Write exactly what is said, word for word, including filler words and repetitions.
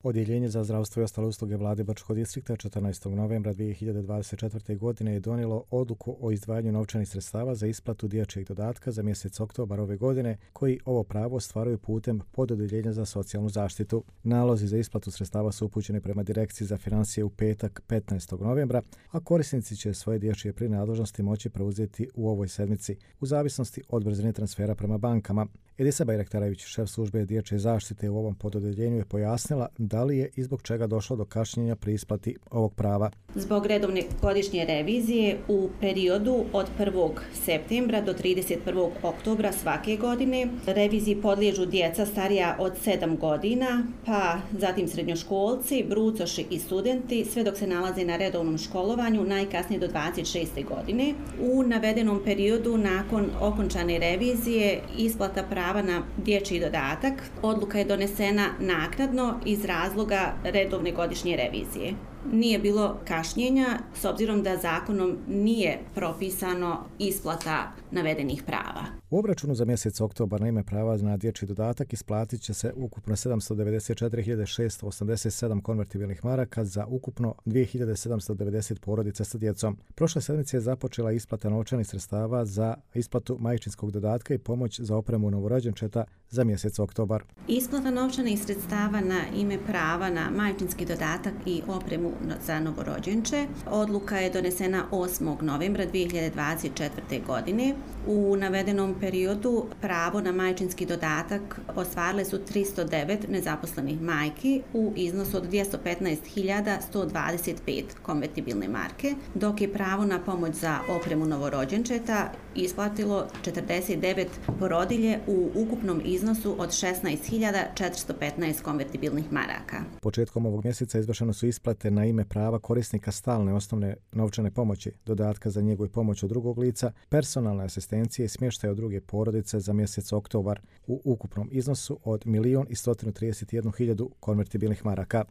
Odjeljenje za zdravstvo i ostale usluge vlade Brčkog distrikta četrnaestog novembra dvije hiljade dvadeset četvrte. godine je donijelo odluku o izdvajanju novčanih sredstava za isplatu dječjeg dodatka za mjesec oktobar ove godine, koji ovo pravo ostvaruju putem pododjeljenja za socijalnu zaštitu. Nalozi za isplatu sredstava su upućeni prema Direkciji za financije u petak petnaestog novembra, a korisnici će svoje dječje prinadležnosti moći preuzeti u ovoj sedmici, u zavisnosti od brzine transfera prema bankama. Edisa Bajraktaravić, šef službe dječje zaštite u ovom pododjeljenju, je pojasnila da li je i zbog čega došlo do kašnjenja pri isplati ovog prava. Zbog redovne godišnje revizije u periodu od prvog septembra do trideset prvog oktobra svake godine reviziji podliježu djeca starija od sedam godina, pa zatim srednjoškolci, brucoši i studenti, sve dok se nalaze na redovnom školovanju najkasnije do dvadeset šeste. godine. U navedenom periodu nakon okončane revizije isplata prava na dječji dodatak odluka je donesena naknadno iz razloga redovne godišnje revizije. Nije bilo kašnjenja s obzirom da zakonom nije propisano isplata navedenih prava. U obračunu za mjesec oktobar na ime prava na dječji dodatak isplatit će se ukupno sedamsto devedeset četiri hiljade šesto osamdeset sedam konvertibilnih maraka za ukupno dvije hiljade sedamsto devedeset porodica sa djecom. Prošle sedmice je započela isplata novčanih sredstava za isplatu majčinskog dodatka i pomoć za opremu novorođenčeta za mjesec oktobar. Isplata novčanih sredstava na ime prava na majčinski dodatak i opremu za novorođenče odluka je donesena osmog novembra dvije hiljade dvadeset četvrte. godine. U navedenom periodu pravo na majčinski dodatak ostvarile su tristo devet nezaposlenih majki u iznosu od dvjesto petnaest hiljada sto dvadeset pet konvertibilne marke, dok je pravo na pomoć za opremu novorođenčeta isplatilo četrdeset devet porodilje u ukupnom iznosu od šesnaest hiljada četiristo petnaest konvertibilnih maraka. Početkom ovog mjeseca izvršene su isplate na ime prava korisnika stalne osnovne novčane pomoći, dodatka za njegu i pomoć od drugog lica, personalne asistencije i smještaja od druge porodice za mjesec oktobar u ukupnom iznosu od milion i stotinu trideset jednu hiljadu konvertibilnih maraka.